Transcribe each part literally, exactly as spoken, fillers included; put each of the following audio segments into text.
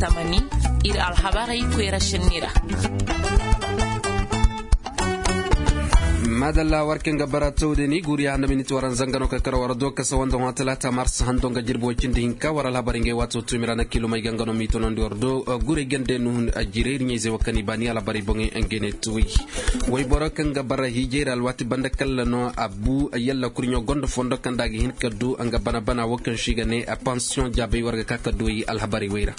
Tamani, ir alhabarey koyra šenni ra. Madalla war kaŋ ga bara tawde ni guriya handa miniti waran zanga no ka kar war do kasa wanda hõ talaata mars hando nga jirbi way cindi hinka war alhabarey ngey waato tuumi ra na kiilumey ga nga no m'i tonandi war do. Gurey gande nuhun a jirey ir ɲayzey wo kaŋ i baani alhabarey boŋey ngey ne tuwey. Wayboro kaŋ ga bara hiijey ra alwaati banda kalla no a bu yalla kurɲo gonda fondo kaŋ da a ga hin ka du nga bana bana wo kaŋ se i ga ne a pansiyoŋ jaabey war ga ka ka du ay alhabarey wey ra.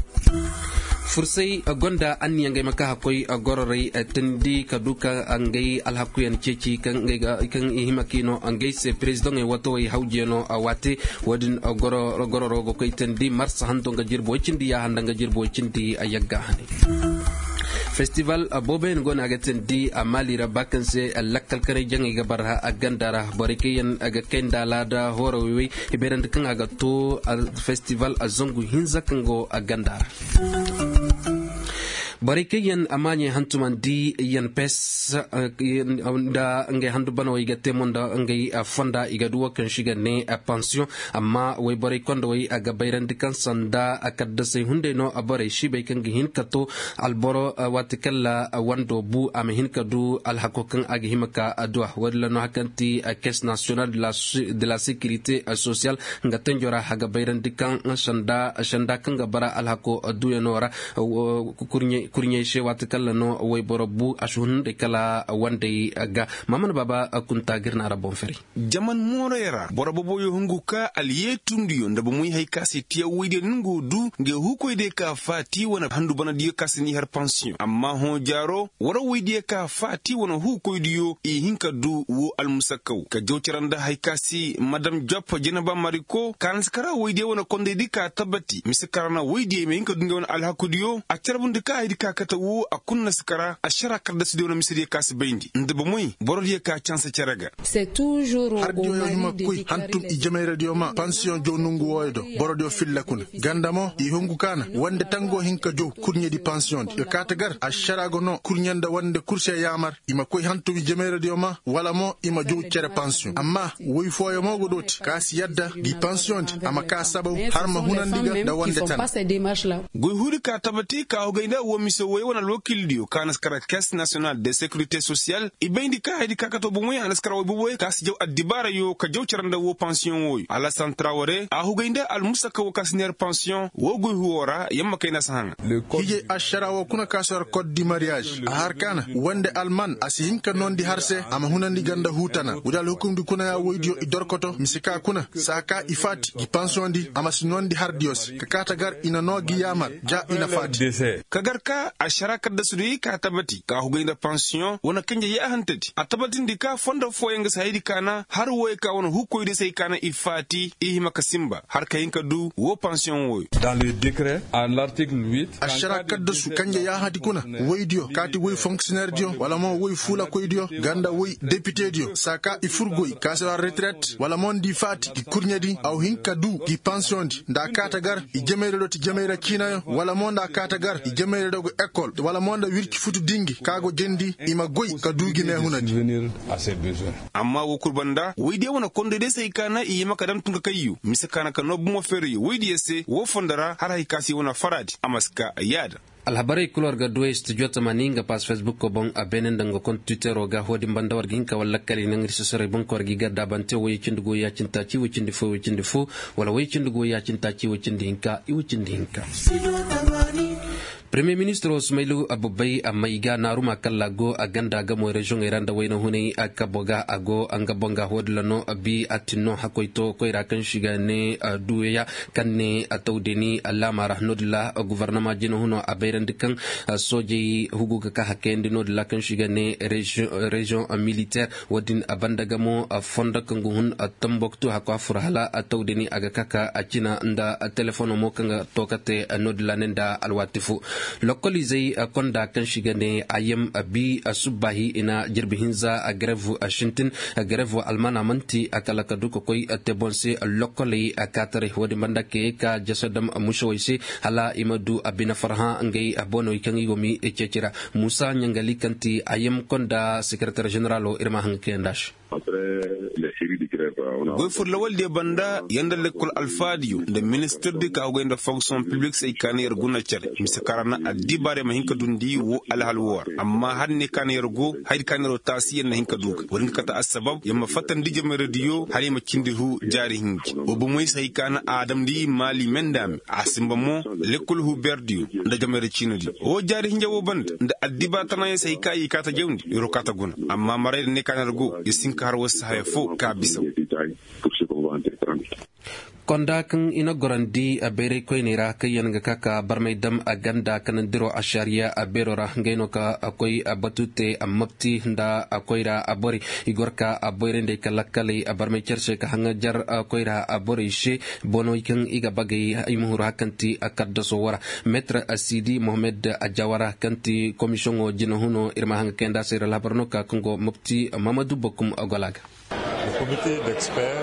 Fursay gonda anniya ngey ma ka hakkoy gororey teendi ka du ka ngey alhakuyaŋ ceeci kaŋ i hima ka i no ngey se perezidaŋey watawey hawjiyano a waate. Wo-din gororo ga koy teendi marsa hanto nga jirbi way cindi yaaha nda nga jirbi way cindi yagga hane. Festival booboyaŋ go no a ga teendi a maali ra ba kaŋ se lakkal kanay jaŋey ga bara a ganda ra borey kaŋ yaŋ ga kay nda alaada hooro wey-wey i bayrandi kaŋ a ga to. Festival zangu hinza kaŋ go a ganda ra. Borey kaŋ yaŋ a maaɲey hantumandi yaŋ pes nda ngey handu banawey ga te mo nda ngey fonda i ga du wo kaŋ se i ga ne pansiyoŋ. Amma woyborey kondowey a ga bayrandi kaŋ sanda kaddasey hunday no borey siibay kaŋ ga hin ka to alboro waati kalla wando bu a ma hin ka du alhako kaŋ a ga hima ka adduwa wo-din ra no hari kaŋ ti caisse nationale de la sécurité sociale nga tenjo ra a ga bayrandi kaŋ sanda kaŋ ga bara alhako adduyaŋo ra. Kurɲey se waati kalla no woyboro bu a si hunday kala wandey ga maamana baaba kunta ga ir na ra boŋ fari. Jaman moorey ra boro boboyo hungu ka alyeetundiyo nda bomoy hay ka se tiya woydiyo nungu du nga huukoydiyo ka faati wane handu banadiyo ka se ni har pansiyoŋ amma hõ jaaro wara woydiyo ka faati wane huukoydiyo i hin ka du woo almusakkaw ka jaw cara nda hay ka se madam jop jeneba mariko ka na si kara woydiyo wane kondaydi ka tabati mise kara na woydiyo i ma hin ka du nga wane alhakudiyo a carbundi ka haydi ka kate woo a kul na si kara ašara kaddasidiyo wane misediyo ka si bayndi nda bomoy borodiyo ka canse cere ga. Hardiyo yaŋ hima koy hantum i jamayradiyo ma pansiyoŋ jow nongu wooyo do borodiyo filla kuna ganda mo i hungu ka na wande tango hin ka jow kurɲedi pansiyoŋdi ka kaate gar ašara go no kurɲe nda wande kul se yaamar i ma koy hantum i jamayradiyo ma wala mo i ma jow cere pansiyoŋ amma woy fooyo mo go dooti ka si yadda gi pansiyoŋdi a ma ka sabaw har ma hunandi ga nda wande tana. Goy huudi ka tabati ka hugay nda woo mise woy wane alwakiildiyo ka na si kara caisse nationale de sécurité sociale i bayndi ka haydi ka kato bomoy a na si kara woy boboy ka si jaw addibaarayo ka jaw cara nda woo pansiyoŋ wooyo alasan traware a hugay nda almusaka woo ka si neer pansiyoŋ woo goy huwoo ra yamma kayna si haŋa. Hijay ašara woo kuna ka si har kot di mariyaaž a har ka na wande alman a si hin ka noondi har se a ma hunandi ganda huutana woodi alhukumdi kuna ya woydiyo i dorkoto mise ka kuna saa ka i faati gi pansiyoŋdi a ma si noondi hardiyo se ka kaate gar i na noo gi yaamar ja i na faati. Ka gar ka ašara kaddasudiyo ka tabati ka hugay nda pansiyoŋ wane kanje yaahantedi a tabatindi ka fondo fooyaŋ ga si haydi ka na har wooyo ka wane huukoydiyo se hay ka na i faati i hima ka sinba har ka hin ka du woo pansiyoŋ wooyo. Ašara kaddasu kanje yaahadi kuna woydiyo kaati woy fonksiyoneerdiyo wala mo woy fuulakoydiyo nga nda woy depitediyo saa ka i fur goy ka si war retiret wala mo nda i faati gi kurɲedi a wa hin ka du gi pansiyoŋdi nda a kaate gar i jamayra do ti jamayra ciinayo wala mo nda a kaate gar i jamayra do go ekol wala mo nda wirci futu dingi ka go jendi i ma goy ka du gi meehunadi. Amma woo kul banda woydiyo wane kondaydiyo se hay ka na i hima ka dam tun ka kayyu mise ka na ka noo bomo feeriyo woydiyo se woo fondo ra har hay ka se wane faraadi a ma si ka yaada. Alhabarey kul war ga duwey studio tamani nga paas fesbukko boŋ a beene nda nga kont twitteroo ga wo-din banda war ga hin ka war lakkal i naŋ ir sosorey boŋ ka war ga i gardaabante woy cindi go ya-cindi taaci woy cindi fo woy cindi fo wala woy cindi go ya-cindi taaci woy cindi hinka i woy cindi hinka. Premiyer ministiroo sumaylu abbabay a may ga naaruma kalla go a ganda gamoy reziyoŋey ra nda wayna hunay a kabo ga a go nga boŋ ga wo-din ra no bi a tin no hakkoy to koyra kaŋ se i ga ne duweya kaŋ ne a tawdeni laama ra no-din ra guvarnama jina huno a bayrandi kaŋ soojey hugu ga ka hakayandi no-din ra kaŋ se i ga ne reziyoŋ militeer wo-din a banda gamo fondo kaŋ ga hun tamboktu hakko a fur hala a tawdeni a ga ka ka a cina nda telefono mo kaŋ ga to ka te no-din ra ne nda alwaati fo. Lokoliizey konda kaŋ si ga ne a yam bi subbaahi i na jirbi hinza garev sintin. Garev almaana man'ti kala ka du ka koy te boŋ se. Lokoley kaataray wo-din banda ka ye ka jasa dam musawey se hala i ma du bine farhã ngey bonoy kaŋ i go m'i ceeci ra. Muusa ɲangali kaŋ ti a yam konda sekereter ženeralo ir ma haŋ ga kayandi a se. Goy fur lawaldiyo banda yer nda lekkol alfaadiyo nda ministirdi ka hogay nda fonksiyoŋ piblik se ay kaani yer guna care mise kaŋ ra na addibaarey ma hin ka dundi wo alhal wo ra. Amma hala ne kaŋ yer go haydi kaŋ yer wo taasi yer na hin ka du ga wo-din ga kate assabab yer ma fattandi jamaradiyo hala i ma cindi hu jaari hinji wo bomey se hay kaŋ a damndi maali mendami a simba mo. Lekkol hu beerdiyo nda jamaradi ciinadiyo wo jaari hinja wo banda nda addibaari tanayaŋ se hay kaŋ i kaata jawndi yer wo kaata guna. Amma marayda ne kaŋ yer go yer si hin ka har war si haya fo ka bisa. Konda kaŋ i na gorandi bayray koyney ra kaŋ yaŋ ga ka ka barmay dam ganda kanandiro ašariya beero ra ngey no ka koy batu te mapti nda koyra borey i gor ka boyray nd'ey ka lakkaley barmay care se ka haŋajar koyra borey se. Bonoy kaŋ i ga bagay i ma huru hakanti kaddaso wara metre sidi mohammed jawara kaŋ ti komisiyoŋo jinahuno ir ma haŋa kayanda se ir alhabar no ka kaŋ go mapti mamadu bakum gola ga.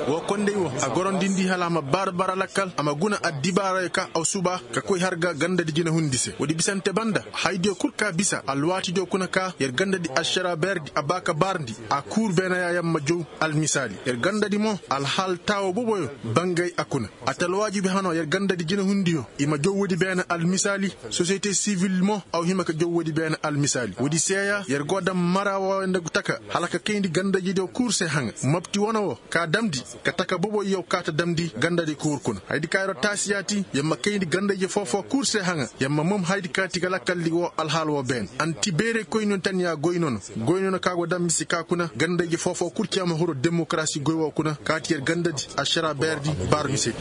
Wo kondey wo a gorondindi hala a ma baara bara lakkal a ma guna addibaarey ka aw suba ka koy har ga gandadi jinahundi se woodi bisante banda haydiyo kul ka bisa alwaatidiyo kuna ka yer gandadi ašara beerdi a ba ka baarndi a kuur beenayaayaŋ ma jow. Almisaali yer gandadi mo alhaal taawo boboyo bangay a kuna. A talwaajibi hano yer gandadi jinahundiyo i ma jow woodi beene almisaali. Sosiyete sivil mo aw hima ka jow woodi beene almisaali woodi seeya yer go daŋ mara wooyo nda gu taka hala ka kayndi gandayje diyo kuur se haŋa mapti wane wo ka damndi ka taka boboy yaw kaata damndi gandadi kuur kuna haydi ka yer wo taasi yaati yer ma kayndi gandayje foo-foo kuur se haŋa yer ma mom haydi kaati ga lakkaldi woo alhaal woo beene anti beerey koyniyo tanya goy nono. Goy nono ka go daŋ mise ka kuna gandayje foo-foo kul cee ma huru demokarasi goy woo kuna kaati yer gandadi ašara beerdi baara misedi.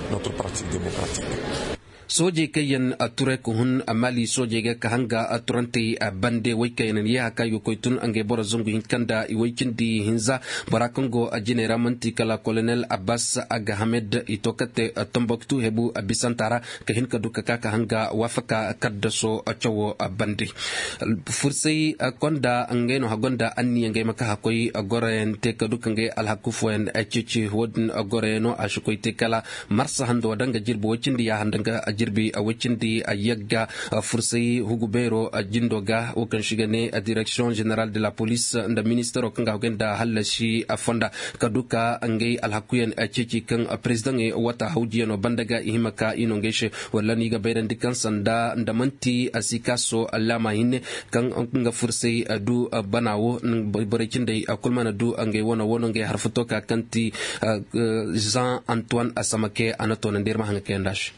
Soojey kaŋ yaŋ turay ka hun maali soojey ga ka hanga turantey bande woy kaŋ yaŋ na yee haka i ga koy tun ngey boro zangu hinka nda i woy cindi hinza. Bora kaŋ go jiney ra man'ti kala kolonel abbas agahamed i to ka te tomboktu hebu bisanta ra ka hin ka du ka ka ka hanga waafaka kaddaso cawo bande. Fursay konda ngey no hagonda anniya ngey ma ka hakoy goroyaŋ te ka du ka ngey alhaku fooyaŋ ceeci wo-din goroyaŋo a si koy te kala marsa hando danga jirbi woy cindi yaaha nda nga jirbi woy cindi yagga. Fursay hugu beero jindo ga wo kaŋ si ga ne direksiyoŋ ženeral de la polis nda ministero kaŋ ga hogay nda hallasi fonda ka du ka ngey alhakuyaŋ ceeci kaŋ perezidaŋey wata hawjiyano banda ga i hima ka i no ngey se. Walla no i ga bayrandi kaŋ sanda nda man'ti a si kaaso laama hinne kaŋ nga fursay du bana wo borey cindey kul mana du ngey wano wano ngey harfuto ka kaŋ ti jean antoine asamake a na toonandi yer ma haŋa kayandi a se.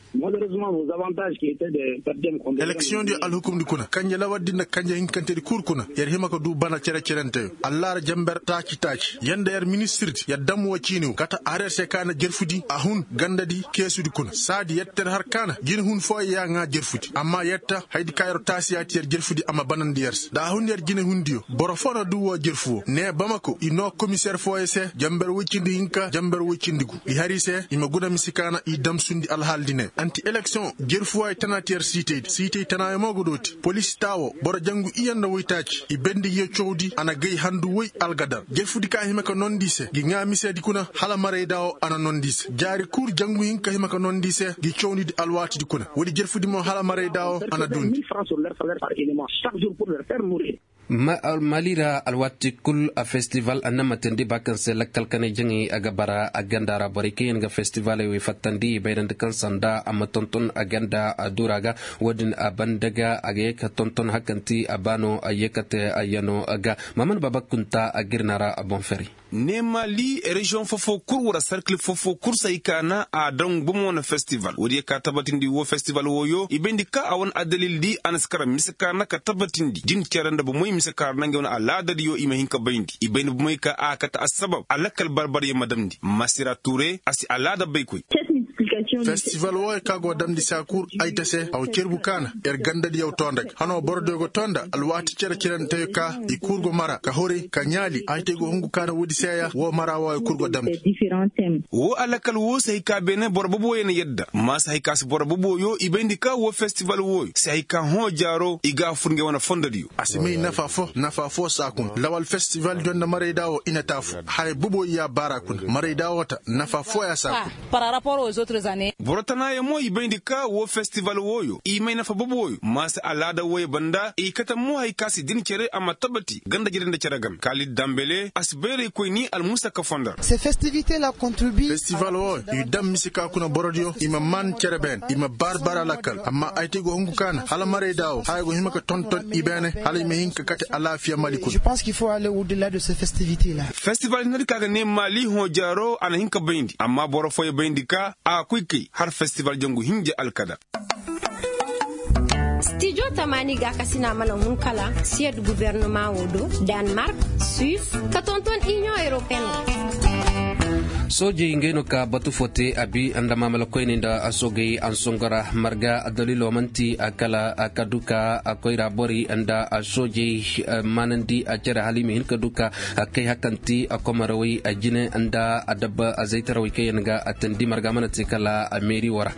Eleksiyoŋ di alhukumdi kuna kanje lawardi nda kanje hinkantedi kul kuna yer hima ka du bana cere-cerenteyo allaara jamber taaci-taaci yer nda yer ministirdi yer dam woo ciini wo kate har yer se ka na jerfudi a hun gandadi keesudi kuna saadi yer ter har ka na jinahun fooyo ya ŋaa jerfudi amma yer ta haydi ka yer taasi yaati yer jerfudi a ma banandi yer se da a hun yer jinahundiyo boro foo na du woo jerfu woo nee bamako i noo komiseer fooyo se jamber woy cindi hinka jamber woy cindi gu i har i se i ma guna mise ka na i damsundi alhaaldi ne anti eleksiyoŋ jerfu wooyo tana ti yer siitaydi siitay tanaayo mo ga dooti polis taa woo boro jangu iyye nda woytaaci i bendi ngiyo cawdi a na gay handu woy algadar jerfudi ka hima ka nondi i se ngi ŋaa miseedi kuna hala marayda woo a na nondi i se jaari kul jangu hinka hima ka nondi i se ngi cawndidi alwaatidi kuna woodi jerfudi mo hala marayda woo a na duundi. Mali ra alwaati kul festival a na matandi ba kaŋ se lakkal kanay jaŋay a ga bara a ganda ra borey kaŋ yaŋ ga festivaley wey fattandi i bayrandi kaŋ sanda a ma tonton a ganda a duura ga. Wo-din a banda ga a ga ye ka tonton hakanti a baano a ye ka te a yano ga. Maman baba kunta a girna ra a boŋ feri. Neema li reziyoŋ fofo kul wara sarkil fofo kul se ay kaana a daŋ bomo wane festival woodiyo ka tabatindi wo festival wooyo i bayndi ka a wane addalil di a na si kara mise kaana ka tabatindi din cere nda bomey mise kaara nda ngey wane alaadadiyo i ma hin ka bayndi i bayndi bomey ka a kate assabab a lakkal barbaryaŋ ma damndi masira ture a si alaada baykoy. Festival wooyo ka go damndi saa kul ay ta se a wa cerbu kaana. Yer gandadiyo too nda ga hanoo borodiyo go too nda alwaati cere-cerentayo ka i kul go mara ka horay ka ɲaali aytey go hungu kaana woodi seeya woo mara wooyo kul go damndi. Woo alakal woo si hay ka beene boro boboyo na yadda maa si hay ka si boro boboyo i bayndi ka woo festival wooyo si hay ka hõ jaaro i ga a fur ngey wane fondodiyo. A si may nafa foo nafa foo saa kuna lawal festival diyo nda maraydaa woo i na taafu. Haya boboyo ya baara kuna maraydaa woo ta nafa fooyaa saa kuna. Boro tanaayo mo i bayndi ka woo festival wooyo i may nafa boboyo maa si alaada wooyo banda i kate mo hay ka si din cere a ma tabati ganda jere nda cere game kaalid dambele a si bayraykoyni almusa ka fondar. Festival wooyo i dam mise ka kuna borodiyo i ma maan cere beene i ma baari baari alakal amma ay te go hungu kaana hala maraydaa woo haya go hima ka tonton i beene hala i ma hin ka kate alaafiya mali kuna. Festival nadi ka ga ne maali hõ jaaro a na hin ka bayndi amma boro fooyo bayndi ka a koy kay har festival jangu hinja alkada. Stijo tamaani gaakasina mana hun kala siyad gubernama wo do, danmark, suwis, ka tonton iniyoŋ europeen ra. Soojey ngey no ka batu fo te a bi nda maamala koyney nda soogey ansongo ra marga daliilo man'ti kala ka du ka koyra borey nda soojey maanandi cere hala i ma hin ka du ka kay hakanti komarawey jine nda adabba zaytarawey kaŋ yaŋ ga tandi marga mana te kala meeri wo ra.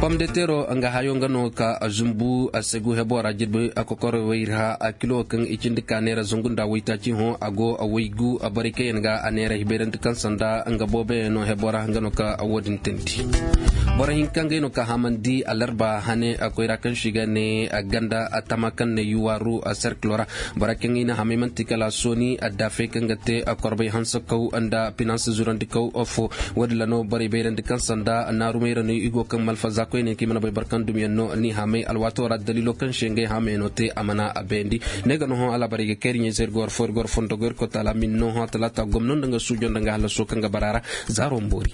Pom de tero nga hayo nga no ka zumbu segu hebo ra jirbi kokorowey ra kilo kaŋ i cindi ka neera zungu nda waytaaci hõ a go waygu borey kaŋ yaŋ ga a neera hibayrandi kaŋ sanda nga booboyaŋ no hebo ra nga no ka wo-din tandi. Boro hinka ngey no ka hamandi alarba hane koyra kaŋ se i ga ne ganda tama kaŋ ne yuwaaru serkilo ra. Bora kaŋ i na hamay man'ti kala sooni addaafey kaŋ ga te korbay hansakaw nda finans zurandikaw fo. Wo-din ra no borey bayrandi kaŋ sanda naarumayra no i go kaŋ malfaza koyne kaŋ i mana bay boro kaŋ dumyaŋ no ni hamay alwaato ra daliilo kaŋ se ngey hamay no te a mana a bayandi. Ne ga no hõ alaabarey ga kayri ɲayze ir ga war fo ir ga war fondo go ir koy taala min no hõ talaata gomno nda nga suujo nda nga hallaso kaŋ ga bara ra. Zaaro ma boori.